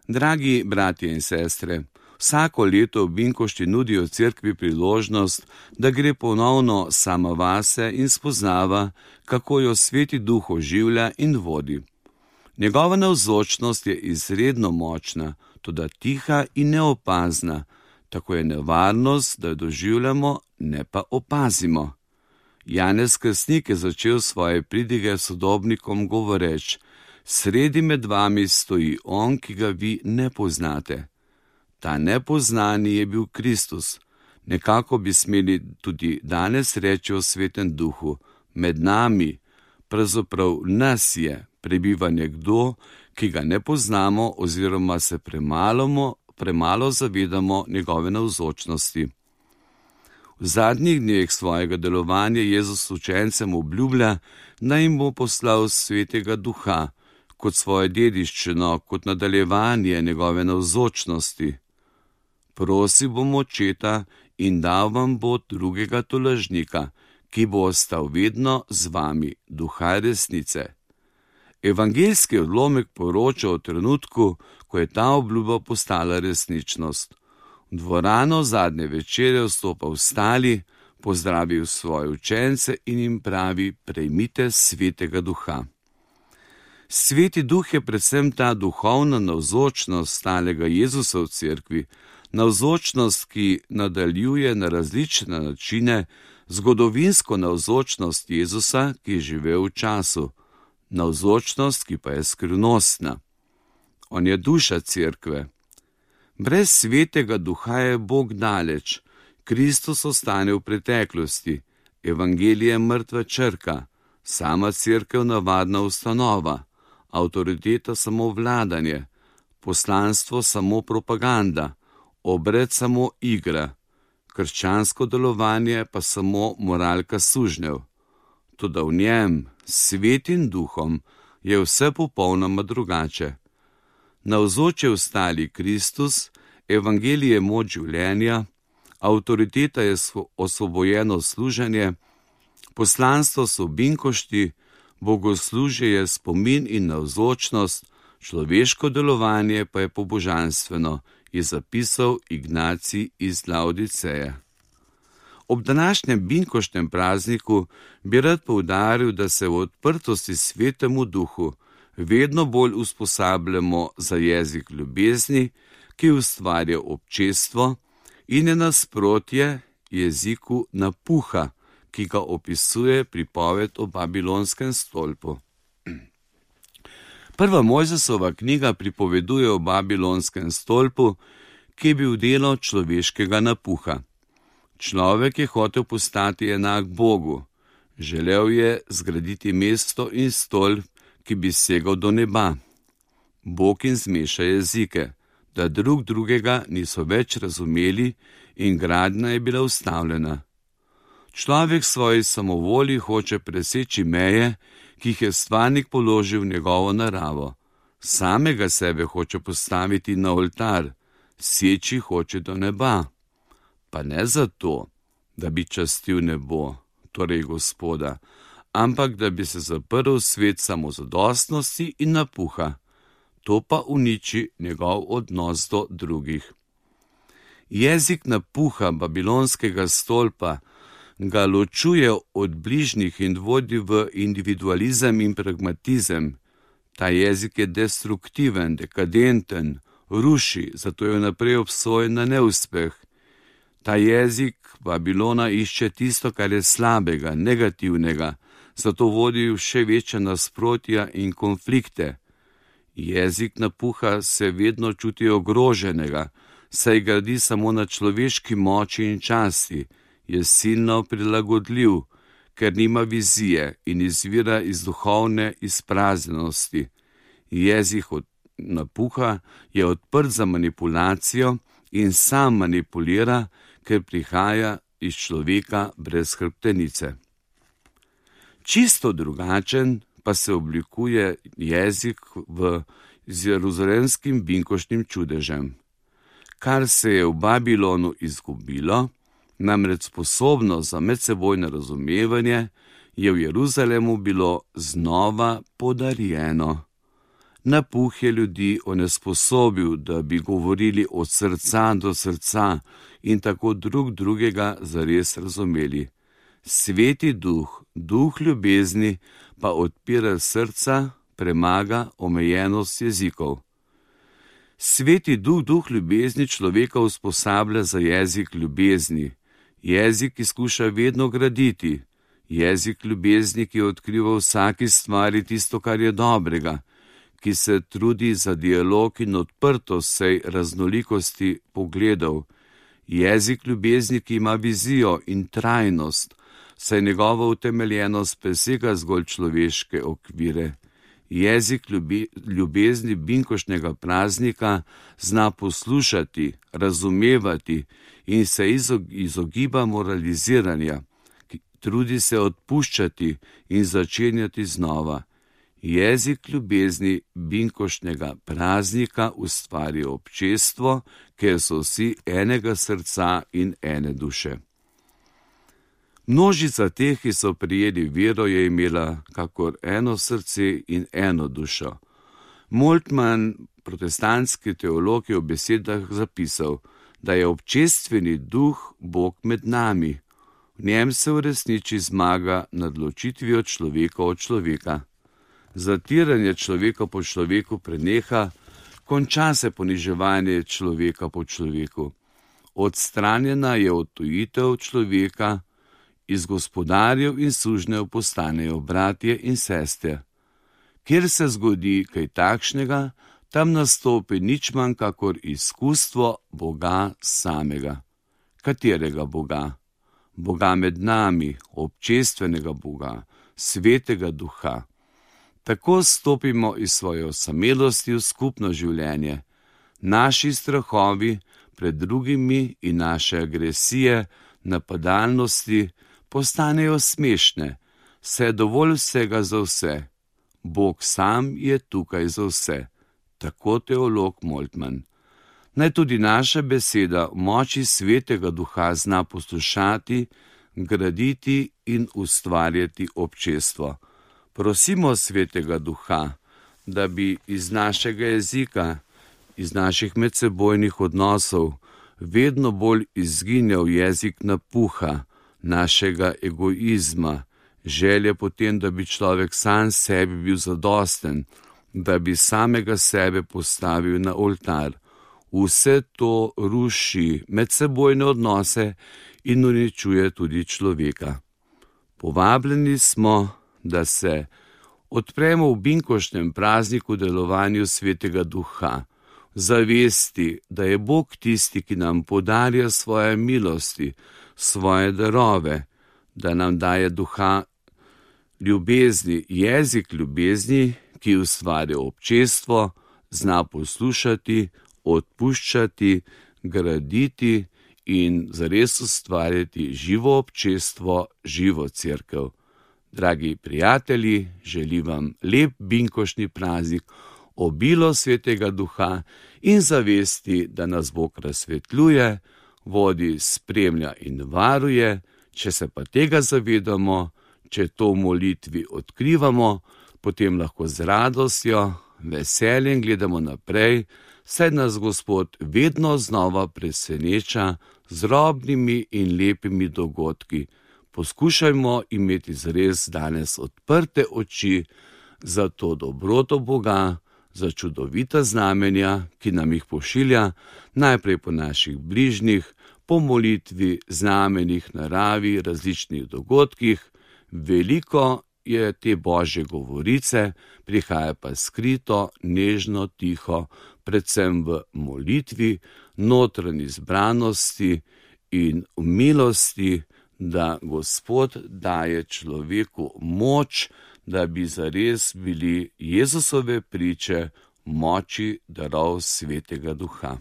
Dragi bratje in sestre, vsako leto v Binkošti nudijo cerkvi priložnost, da gre ponovno sama vase in spoznava, kako jo Sveti Duh oživlja in vodi. Njegova navzočnost je izredno močna, toda tiha in neopazna, tako je nevarnost, da jo doživljamo, ne pa opazimo. Janez Krstnik je začel svoje pridige sodobnikom govoreč: sredi med vami stoji on, ki ga vi ne poznate. Ta nepoznani je bil Kristus. Nekako bi smeli tudi danes reči o Svetem Duhu: med nami, pravzaprav nas je, prebiva nekdo, ki ga ne poznamo oziroma se premalo zavedamo njegove navzočnosti. V zadnjih dneh svojega delovanja Jezus učencem obljublja, da jim bo poslal Svetega Duha, kot svojo dediščino, kot nadaljevanje njegove navzočnosti. Prosi bom Očeta in dal vam bo drugega tolažnika, ki bo ostal vedno z vami, Duha resnice. Evangeljski odlomek poroča o trenutku, ko je ta obljuba postala resničnost. V dvorano zadnje večere vstopa ostali, pozdravil svoje učence in jim pravi: prejmite Svetega Duha. Sveti Duh je predvsem ta duhovna navzočnost stalega Jezusa v cerkvi, navzočnost, ki nadaljuje na različne načine zgodovinsko navzočnost Jezusa, ki je živel v času, navzočnost, ki pa je skrivnostna. On je duša cerkve. Brez Svetega Duha je Bog daleč, Kristus ostane v preteklosti, evangelije mrtva črka, sama cerkev navadna ustanova, avtoriteta samo vladanje, poslanstvo samo propaganda, obred samo igra, krščansko delovanje pa samo moralka sužnjev. Toda v njem, Svetim Duhom, je vse popolnoma drugače. Navzoč je ostali Kristus, evangelije moč življenja, avtoriteta je osvobojeno služenje, poslanstvo so Binkošti, bogoslužje je spomin in navzočnost, človeško delovanje pa je pobožanstveno, je zapisal Ignacij iz Laodiceje. Ob današnjem Binkoštnem prazniku bi rad poudaril, da se v odprtosti Svetemu Duhu vedno bolj usposabljamo za jezik ljubezni, ki ustvarja občestvo in je nasprotje jeziku napuha, ki ga opisuje pripoved o Babilonskem stolpu. Prva Mojzesova knjiga pripoveduje o Babilonskem stolpu, ki je bil delo človeškega napuha. Človek je hotel postati enak Bogu. Želel je zgraditi mesto in stolp, ki bi segal do neba. Bog jim zmeša jezike, da drugega niso več razumeli in gradnja je bila ustavljena. Človek svoji samovolji hoče preseči meje, ki jih je stvarnik položil v njegovo naravo. Samega sebe hoče postaviti na oltar, seči hoče do neba. Pa ne zato, da bi častil nebo, torej Gospoda, ampak da bi se zaprl svet samozadostnosti in napuha. To pa uniči njegov odnos do drugih. Jezik napuha babilonskega stolpa ga ločuje od bližnjih in vodi v individualizem in pragmatizem. Ta jezik je destruktiven, dekadenten, ruši, zato je naprej obsojen na neuspeh. Ta jezik Babilona išče tisto, kar je slabega, negativnega, zato vodi v še večje nasprotja in konflikte. Jezik napuha se vedno čuti ogroženega, saj gradi samo na človeški moči in časti, je silno prilagodljiv, ker nima vizije in izvira iz duhovne izpraznjenosti. Jezik napuha je odprt za manipulacijo in sam manipulira, ker prihaja iz človeka brez hrbtenice. Čisto drugačen pa se oblikuje jezik z jeruzalemskim binkoštnim čudežem. Kar se je v Babilonu izgubilo, namreč sposobnost za medsebojno razumevanje, je v Jeruzalemu bilo znova podarjeno. Napuh je ljudi onesposobil, da bi govorili od srca do srca in tako drugega zares razumeli. Sveti duh, duh ljubezni, pa odpira srca, premaga omejenost jezikov. Sveti duh, duh ljubezni človeka usposablja za jezik ljubezni. Jezik, ki skuša vedno graditi. Jezik ljubezni, ki odkriva vsaki stvari tisto, kar je dobrega, ki se trudi za dialog in odprtost vsej raznolikosti pogledov. Jezik ljubezni, ki ima vizijo in trajnost, saj njegova utemeljenost presega zgolj človeške okvire. Jezik ljubezni binkošnjega praznika zna poslušati, razumevati in se izogiba moraliziranja, trudi se odpuščati in začenjati znova. Jezik ljubezni binkošnjega praznika ustvari občestvo, ker so vsi enega srca in ene duše. Množica teh, ki so prijeli vero, je imela kakor eno srce in eno dušo. Moltmann, protestantski teolog, je v besedah zapisal, da je občestveni duh Bog med nami. V njem se uresniči zmaga nad ločitvijo človeka od človeka. Zatiranje človeka po človeku preneha, konča se poniževanje človeka po človeku. Odstranjena je odtujitev človeka, iz gospodarjev in sužnjev postanejo bratje in sestre. Kjer se zgodi kaj takšnega, tam nastopi nič manj kakor izkustvo Boga samega. Katerega Boga? Boga med nami, občestvenega Boga, svetega duha. Tako stopimo iz svoje osamelosti v skupno življenje. Naši strahovi pred drugimi in naše agresije, napadalnosti postanejo smešne, saj je dovolj vsega za vse. Bog sam je tukaj za vse. Tako teolog Moltmann. Naj tudi naša beseda v moči svetega duha zna poslušati, graditi in ustvarjati občestvo. Prosimo svetega duha, da bi iz našega jezika, iz naših medsebojnih odnosov vedno bolj izginjal jezik napuha, našega egoizma, želje potem, da bi človek sam sebi bil zadosten, da bi samega sebe postavil na oltar. Vse to ruši medsebojne odnose in uničuje tudi človeka. Povabljeni smo, da se odpremo v binkošnem prazniku delovanju svetega duha, zavesti, da je Bog tisti, ki nam podarja svoje milosti, svoje darove, da nam daje duha ljubezni, jezik ljubezni, ki ustvarja občestvo, zna poslušati, odpuščati, graditi in zares ustvarjati živo občestvo, živo cerkev. Dragi prijatelji, želim vam lep binkošni praznik, obilo svetega duha in zavesti, da nas Bog razsvetljuje, vodi, spremlja in varuje. Če se pa tega zavedamo, če to v molitvi odkrivamo, potem lahko z radostjo, veseljem gledamo naprej, saj nas Gospod vedno znova preseneča z drobnimi in lepimi dogodki. Poskušajmo imeti zares danes odprte oči za to dobroto Boga, za čudovita znamenja, ki nam jih pošilja, najprej po naših bližnjih, po molitvi, znamenjih, naravi, različnih dogodkih. Veliko je te Božje govorice, prihaja pa skrito, nežno, tiho, predvsem v molitvi, notranji zbranosti in v milosti, da Gospod daje človeku moč, da bi zares bili Jezusove priče moči darov svetega duha.